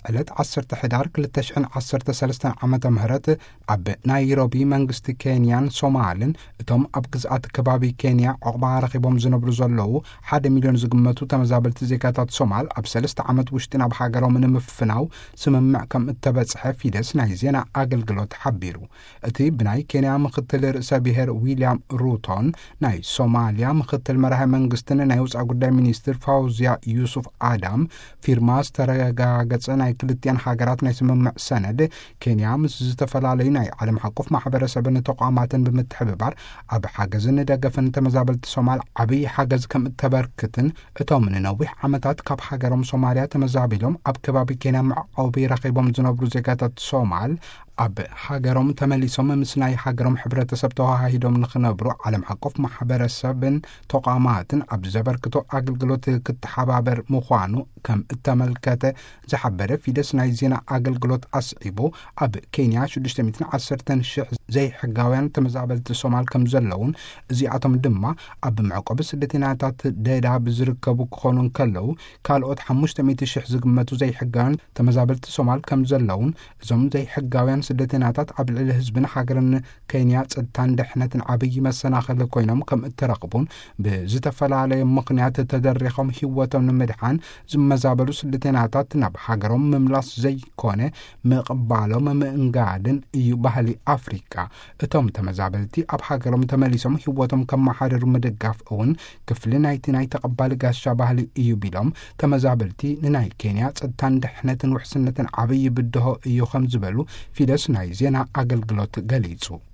ዕለት ዓሰርተ ሕዳር ክልተ ሽሕን ዓሰርተ ሰለስተን ዓመተ ምህረት ኣብ ናይሮቢ መንግስቲ ኬንያን ሶማልን እቶም ኣብ ግዝኣት ከባቢ ኬንያ ዕቑባ ረኺቦም ዝነብሩ ዘለዉ ሓደ ሚልዮን ዝግመቱ ተመዛበልቲ ዜጋታት ሶማል ኣብ ሰለስተ ዓመት ውሽጢ ናብ ሃገሮም ንምፍናው ስምምዕ ከም እተበጽሐ ፊደስ ናይ ዜና ኣገልግሎት ሓቢሩ። እቲ ብናይ ኬንያ ምክትል ርእሰ ብሔር ዊልያም ሩቶን ናይ ሶማልያ ምክትል መራሒ መንግስትን ናይ ውፃ ጉዳይ ሚኒስትር ፋውዚያ ዩሱፍ ኣዳም ፊርማ ዝተረጋገጸ ናይ ክልቲኣን ሃገራት ናይ ስምምዕ ሰነድ፣ ኬንያ ምስ ዝተፈላለዩ ናይ ዓለም ሓቆፍ ማሕበረሰብን ተቋማትን ብምትሕብባር ኣብ ሓገዝን ደገፍን ተመዛበልቲ ሶማል ዓብዪ ሓገዝ ከም እተበርክትን እቶም ንነዊሕ ዓመታት ካብ ሃገሮም ሶማልያ ተመዛቢሎም ኣብ ከባቢ ኬንያ መዕቆቢ ረኺቦም ዝነብሩ ዜጋታት ሶማል ኣብ ሃገሮም ተመሊሶም ምስ ናይ ሃገሮም ሕብረተሰብ ተዋሃሂዶም ንኽነብሩ ዓለም ሓቆፍ ማሕበረሰብን ተቋማትን ኣብ ዘበርክቶ ኣገልግሎት ክተሓባበር ምዃኑ ከም እተመልከተ ዝሓበረ ፊደስ ናይ ዜና ኣገልግሎት ኣስዒቡ፣ ኣብ ኬንያ ሽዱሽተ ሚእትን ዓሰርተን ሽሕ ዘይሕጋውያን ተመዛበልቲ ሶማል ከም ዘለውን፣ እዚኣቶም ድማ ኣብ መዕቆቢ ስደተኛታት ደዳ ብዝርከቡ ክኾኑ እንከለዉ፣ ካልኦት ሓሙሽተ ሚእቲ ሽሕ ዝግመቱ ዘይሕጋውያን ተመዛበልቲ ሶማል ከም ዘለውን፣ እዞም ዘይሕጋውያን ስደተኛታት ኣብ ልዕሊ ህዝብን ሃገርን ኬንያ ጸጥታን ድሕነትን ዓብዪ መሰናኽሊ ኮይኖም ከም እተረኽቡን፣ ብዝተፈላለየ ምኽንያት ተደሪኾም ህይወቶም ንምድሓን ዝመዛበሉ ስደተኛታት ናብ ሃገሮም ምምላስ ዘይኮነ ምቕባሎም ምእንጋድን እዩ ባህሊ ኣፍሪቃ። እቶም ተመዛበልቲ ኣብ ሃገሮም ተመሊሶም ህይወቶም ከመሓድሩ ምድጋፍ እውን ክፍሊ ናይቲ ናይ ተቐባሊ ጋሻ ባህሊ እዩ ቢሎም፣ ተመዛበልቲ ንናይ ኬንያ ጸጥታን ድሕነትን ውሕስነትን ዓብዪ ብድሆ እዩ ከም ዝበሉ ፊደስ ናይ ዜና ኣገልግሎት ገሊጹ።